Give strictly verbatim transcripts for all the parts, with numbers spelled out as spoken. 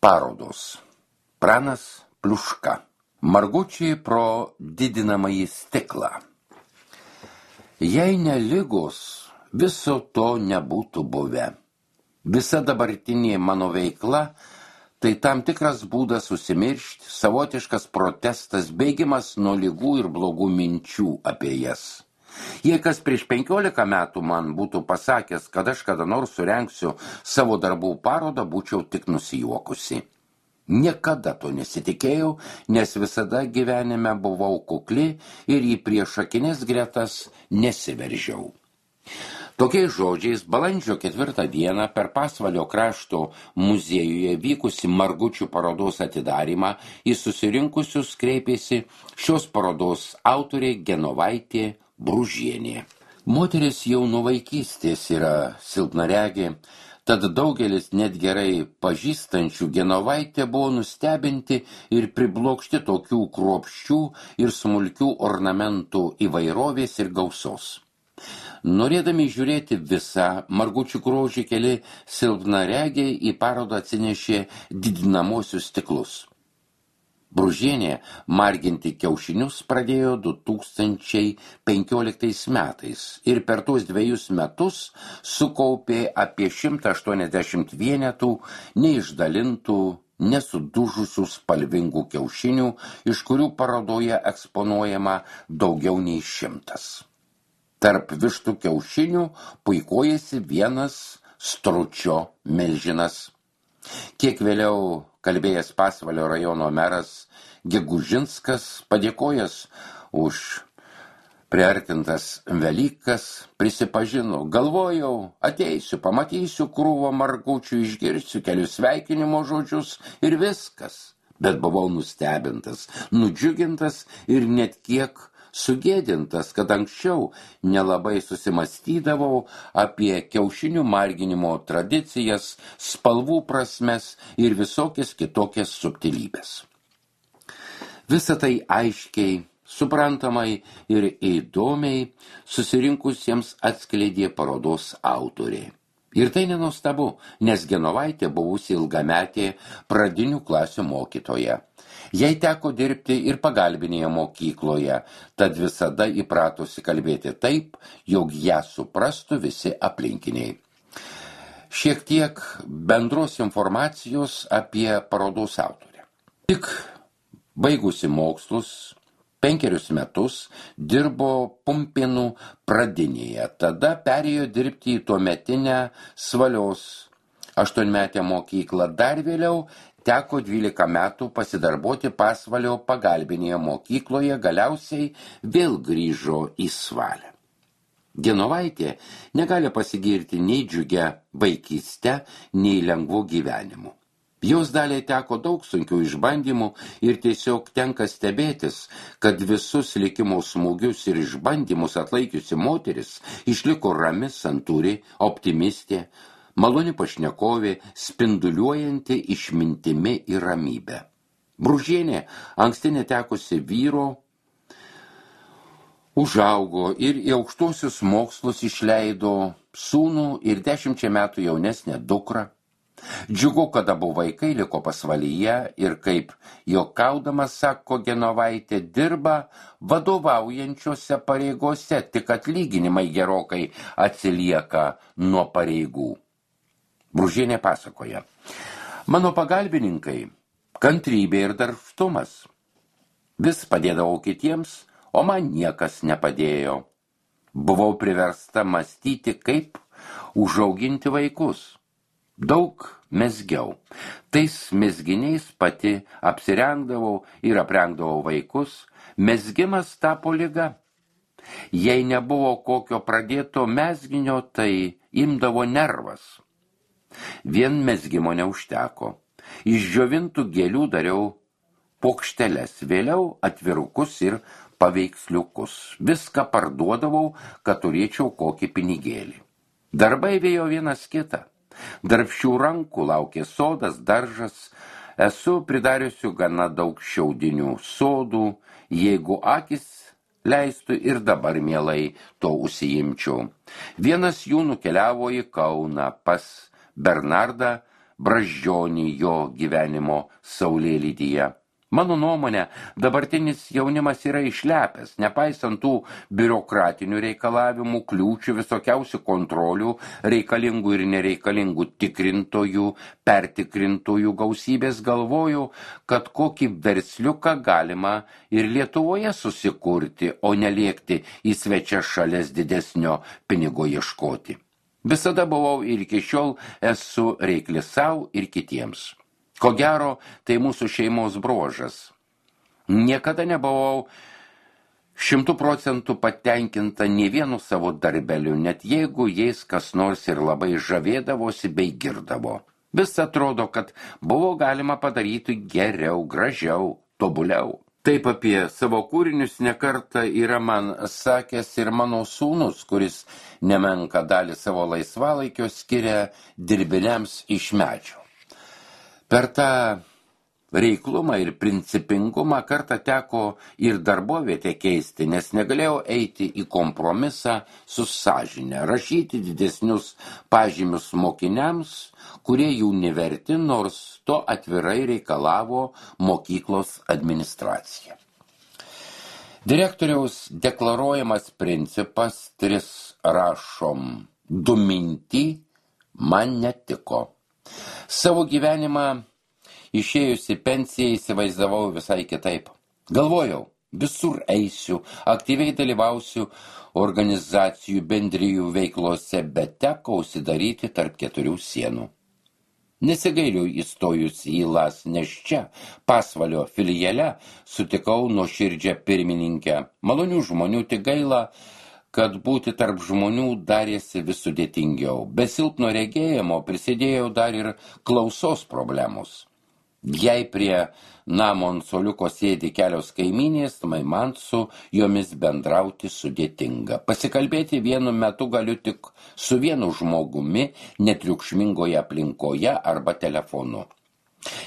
Parodos. Pranas Pliuška. Margučiai pro didinamąjį stiklą. Jei ne ligos, viso to nebūtų buvę. Visa dabartinė mano veikla tai tam tikras būdas užsimiršti, savotiškas protestas, bėgimas nuo ligų ir blogų minčių apie jas. Jei kas prieš penkiolika metų man būtų pasakęs, kad aš kada nors surengsiu savo darbų parodą, būčiau tik nusijuokusi. Niekada to nesitikėjau, nes visada gyvenime buvau kukli ir į priešakinės gretas nesiveržiau. Tokiais žodžiais balandžio ketvirtą dieną per Pasvalio krašto muziejuje vykusi Margučių parodos atidarymą į susirinkusius kreipėsi šios parodos autorė Genovaitė Bružienė. Moteris jau nuo vaikystės yra silpnaregė, tad daugelis net gerai pažįstančių Genovaitę buvo nustebinti ir priblokšti tokių kruopščių ir smulkių ornamentų įvairovės ir gausos. Norėdami žiūrėti visą Margučių grožį, keli silpnaregiai į parodą atsinešė didinamosius stiklus. Bružienė marginti kiaušinius pradėjo du tūkstančiai penkioliktais metais ir per tuos dviejus metus sukaupė apie šimtą aštuoniasdešimt vienetų neišdalintų, nesudužusių spalvingų kiaušinių, iš kurių parodoje eksponuojama daugiau nei šimtas. Tarp vištų kiaušinių puikuojasi vienas stručio milžinas. Kiek vėliau kalbėjęs Pasvalio rajono meras Gegužinskas, padėkojęs už priartintas Velykas, prisipažino: galvojau, ateisiu, pamatysiu krūvą margučių, išgirsiu kelius sveikinimo žodžius ir viskas. Bet buvau nustebintas, nudžiugintas ir net kiek sugėdintas, kad anksčiau nelabai susimastydavau apie kiaušinių marginimo tradicijas, spalvų prasmes ir visokias kitokias subtilybės. Visą tai aiškiai, suprantamai ir įdomiai susirinkusiems atskleidė parodos autorė. Ir tai nenuostabu, nes Genovaitė buvusi ilgametė pradinių klasių mokytoja. Jai teko dirbti ir pagalbinėje mokykloje, tad visada įpratusi kalbėti taip, jog ją suprastų visi aplinkiniai. Šiek tiek bendros informacijos apie parodos autorę. Tik baigusi mokslus, penkerius metus dirbo Pumpėnų pradinėje, tada perėjo dirbti į tuometinę Svalios aštuonmetę mokyklą, dar vėliau teko dvylika metų pasidarboti Pasvalio pagalbinėje mokykloje, galiausiai vėl grįžo į Svalę. Genovaitė negali pasigirti nei džiugia vaikyste, nei lengvu gyvenimu. Jos daliai teko daug sunkių išbandymų ir tiesiog tenka stebėtis, kad visus likimo smūgius ir išbandymus atlaikiusi moteris išliko rami, santūri, optimistė, maloni pašnekovė, spinduliuojanti išmintimi ir ramybę. Bružienė, anksti netekusi vyro, užaugo ir į aukštuosius mokslus išleido sūnų ir dešimčia metų jaunesnę dukrą. Džiugu, kad abu vaikai liko Pasvalyje ir, kaip juokaudamas sako Genovaitė, dirba vadovaujančiose pareigose, tik atlyginimai gerokai atsilieka nuo pareigų. Bružienė pasakoja: mano pagalbininkai kantrybė ir darbštumas. Vis padėdavau kitiems, o man niekas nepadėjo. Buvau priversta mąstyti, kaip užauginti vaikus. Daug mezgiau. Tais mezginiais pati apsirengdavau ir aprengdavau vaikus. Mezgimas tapo liga. Jei nebuvo kokio pradėto mezginio, tai imdavo nervas. Vien mezgimo neužteko. Iš džiovintų gėlių dariau pokšteles, vėliau atvirukus ir paveiksliukus. Viską parduodavau, kad turėčiau kokį pinigėlį. Darbai vėjo vienas kitą. Darbščių rankų laukė sodas, daržas. Esu pridariusiu gana daug šiaudinių sodų, jeigu akis leistų ir dabar mielai to užsiimčiau. Vienas jų nukeliavo į Kauną pas Bernardą brazdžionį jo gyvenimo saulėlydyje. Mano nuomonė, dabartinis jaunimas yra išlepęs, nepaisant tų biurokratinių reikalavimų, kliūčių, visokiausių kontrolių, reikalingų ir nereikalingų tikrintojų, pertikrintojų gausybės, galvoju, kad kokį versliuką galima ir Lietuvoje susikurti, o neliekti į svečias šalies didesnio pinigo ieškoti. Visada buvau ir iki šiol esu reikli sau ir kitiems. Ko gero, tai mūsų šeimos bruožas. Niekada nebuvau šimtų procentų patenkinta nė vienu savo darbeliu, net jeigu jais kas nors ir labai žavėdavosi bei girdavo. Vis atrodo, kad buvo galima padaryti geriau, gražiau, tobuliau. Taip apie savo kūrinius nekartą yra man sakęs ir mano sūnus, kuris nemenką dalį savo laisvalaikio skiria dirbiniams iš medžio. Per tą reiklumą ir principingumą kartą teko ir darbovietę keisti, nes negalėjau eiti į kompromisą su sąžine, rašyti didesnius pažymius mokiniams, kurie jų neverti, nors to atvirai reikalavo mokyklos administracija. Direktoriaus deklaruojamas principas tris rašom du minti man netiko. Savo gyvenimą išėjusi pensiją įsivaizdavau visai kitaip. Galvojau, visur eisiu, aktyviai dalyvausiu organizacijų bendrijų veiklose, bet teko užsidaryti tarp keturių sienų. Nesigailiu įstojusi į Las, nes čia, Pasvalio filiale, sutikau nuoširdžią pirmininkę. Malonių žmonių, tik gaila, kad būti tarp žmonių darėsi vis sudėtingiau. Be silpno regėjimo prisidėjo dar ir klausos problemos. Jei prie namo ant suoliuko sėdi kelios kaimynės, tai man su jomis bendrauti sudėtinga. Pasikalbėti vienu metu galiu tik su vienu žmogumi, netriukšmingoje aplinkoje arba telefonu.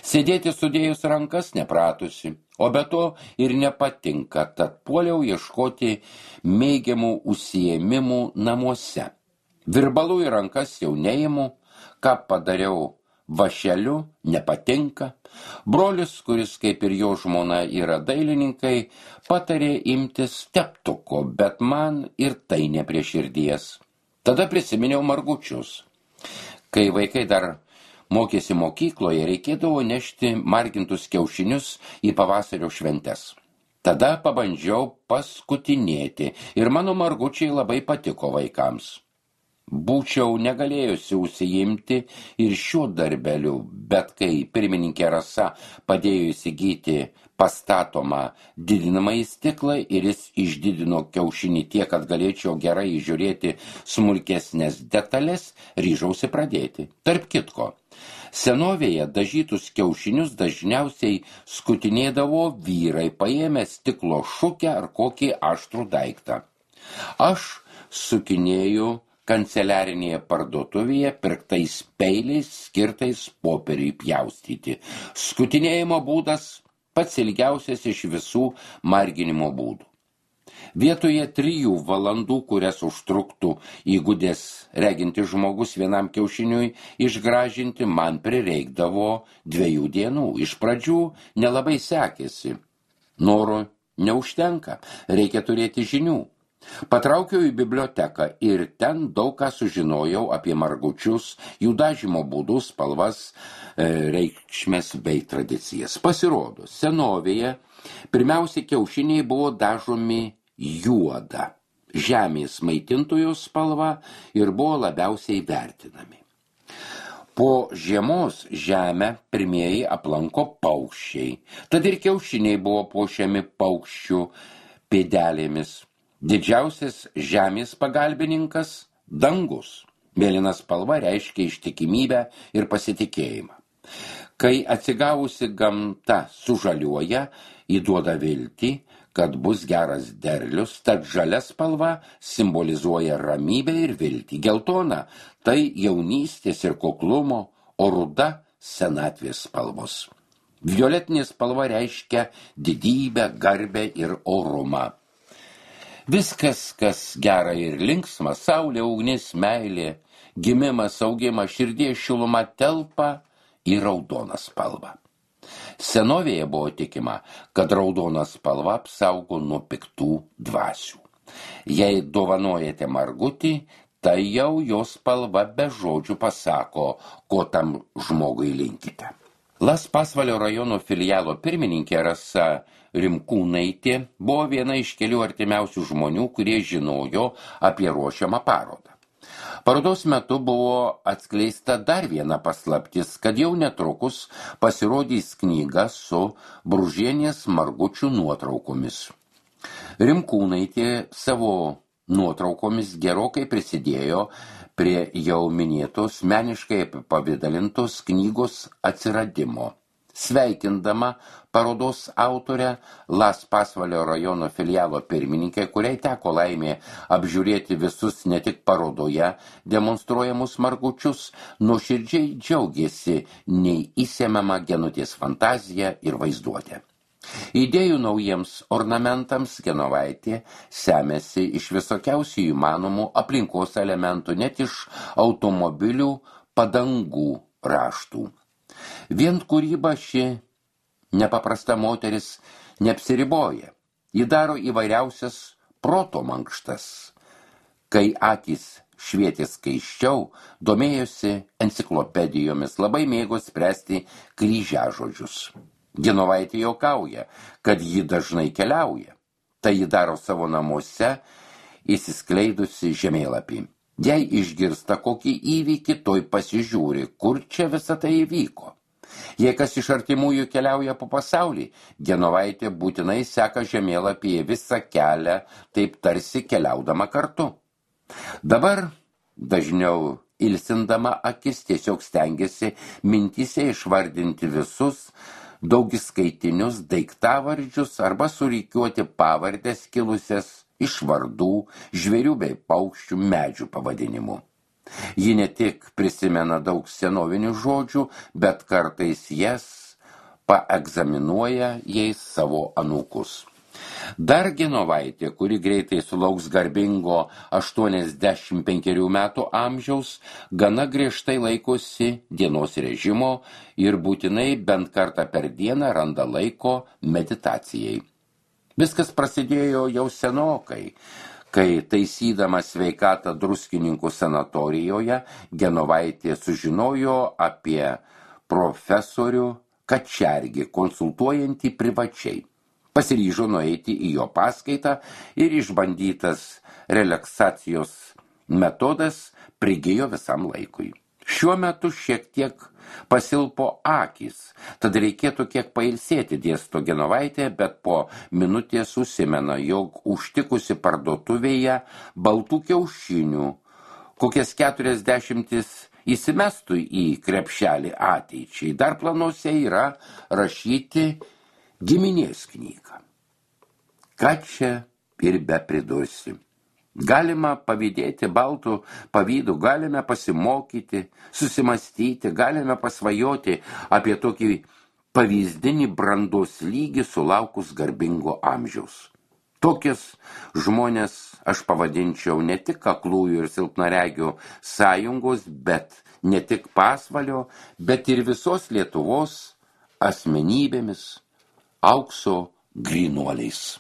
Sėdėti sudėjus rankas nepratusi, o be to ir nepatinka, tad puoliau ieškoti mėgiamų užsiėmimų namuose. Virbalų į rankas jau neimu, ką padariau vašeliu, nepatinka. Brolis, kuris kaip ir jo žmona yra dailininkai, patarė imtis teptuko, bet man ir tai ne prie širdies. Tada prisiminiau margučius. Kai vaikai dar mokėsi mokykloje, reikėdavo nešti margintus kiaušinius į pavasario šventes. Tada pabandžiau paskutinėti ir mano margučiai labai patiko vaikams. Būčiau negalėjusi užsiimti ir šiuo darbeliu, bet kai pirmininkė Rasa padėjo įsigyti pastatomą didinamąjį stiklą ir jis išdidino kiaušinį tiek, kad galėčiau gerai žiūrėti smulkesnės detalės, ryžausi pradėti. Tarp kitko, senovėje dažytus kiaušinius dažniausiai skutinėdavo vyrai, paėmę stiklo šukę ar kokį aštrų daiktą. Aš sukinėjau kanceliarinėje parduotuvėje pirktais peiliais skirtais popieriui pjaustyti. Skutinėjimo būdas pats ilgiausias iš visų marginimo būdų. Vietoje trijų valandų, kurias užtruktų įgudęs reginti žmogus vienam kiaušiniui išgražinti, man prireikdavo dviejų dienų. Iš pradžių nelabai sekėsi. Noro neužtenka, reikia turėti žinių. Patraukiau į biblioteką ir ten daug ką sužinojau apie margučius, jų dažymo būdus, spalvas, reikšmes bei tradicijas. Pasirodo, senovėje pirmiausia kiaušiniai buvo dažomi juoda, žemės maitintojų spalva ir buvo labiausiai vertinami. Po žiemos žemę pirmieji aplanko paukščiai, tad ir kiaušiniai buvo puošiami paukščių pėdelėmis. Didžiausias žemės pagalbininkas – dangus. Mėlyna spalva reiškia ištikimybę ir pasitikėjimą. Kai atsigavusi gamta sužaliuoja, įduoda viltį, kad bus geras derlius, tad žalia spalva simbolizuoja ramybę ir viltį. Geltona – tai jaunystės ir kuklumo, o ruda – senatvės spalvos. Violetinė spalva reiškia didybę, garbę ir orumą. Viskas, kas gera ir linksma, saulė, ugnis, meilė, gimimas, augimas, širdies šiluma telpa į raudoną spalvą. Senovėje buvo tikima, kad raudona spalva apsaugo nuo piktų dvasių. Jei dovanojate margutį, tai jau jos spalva be žodžių pasako, ko tam žmogui linkite. Las Pasvalio rajono filialo pirmininkė Rasa Rimkūnaitė buvo viena iš kelių artimiausių žmonių, kurie žinojo apie ruošiamą parodą. Parodos metu buvo atskleista dar viena paslaptis, kad jau netrukus pasirodys knyga su Bružienės margučių nuotraukomis. Rimkūnaitė savo nuotraukomis gerokai prisidėjo prie jau minėtos meniškai apipavidalintos knygos atsiradimo. Sveikindama parodos autorę Las Pasvalio rajono filialo pirmininkę, kuriai teko laimė apžiūrėti visus ne tik parodoje demonstruojamus margučius, nuoširdžiai džiaugėsi neįsemiama Genutės fantazija ir vaizduotė. Idėjų naujiems ornamentams Genovaitė semėsi iš visokiausių įmanomų aplinkos elementų, net iš automobilių padangų raštų. Vien kūryba ši nepaprasta moteris neapsiriboja. Ji daro įvairiausias proto mankštas. Kai akys švietė skaisčiau, domėjosi enciklopedijomis, labai mėgo spręsti kryžiažodžius. Genovaitė juokauja, kad ji dažnai keliauja. Tai ji daro savo namuose, įsiskleidusi žemėlapį. Jei išgirsta kokį įvykį, toj pasižiūri, kur čia visa tai įvyko. Jei kas iš artimųjų keliauja po pasaulį, Genovaitė būtinai seka žemėlapyje visą kelią, taip tarsi keliaudama kartu. Dabar dažniau ilsindama akis tiesiog stengiasi mintyse išvardinti visus daugiskaitinius daiktavardžius arba surikiuoti pavardės kilusias iš vardų, žvėrių bei paukščių, medžių pavadinimų. Ji ne tik prisimena daug senovinių žodžių, bet kartais jas paegzaminuoja jais savo anūkus. Dar Genovaitė, kuri greitai sulauks garbingo aštuoniasdešimt penkerių metų amžiaus, gana griežtai laikosi dienos režimo ir būtinai bent kartą per dieną randa laiko meditacijai. Viskas prasidėjo jau senokai, kai taisydama sveikatą Druskininkų sanatorijoje, Genovaitė sužinojo apie profesorių Kačergį, konsultuojantį privačiai. Pasiryžo nueiti į jo paskaitą ir išbandytas relaksacijos metodas prigijo visam laikui. Šiuo metu šiek tiek pasilpo akys, tad reikėtų kiek pailsėti, dėsto Genovaitė, bet po minutės užsimena, jog užtikusi parduotuvėje baltų kiaušinių, kokias keturiasdešimtis įsimestų į krepšelį ateičiai. Dar planuose yra rašyti giminės knygą. Ką čia ir be pridursi? Galima pavydėti baltų pavydų, galime pasimokyti, susimastyti, galime pasvajoti apie tokį pavyzdinį brandos lygį sulaukus garbingo amžiaus. Tokius žmonės aš pavadinčiau ne tik aklųjų ir silpnaregių sąjungos, bet ne tik Pasvalio, bet ir visos Lietuvos asmenybėmis, aukso grynuoliais.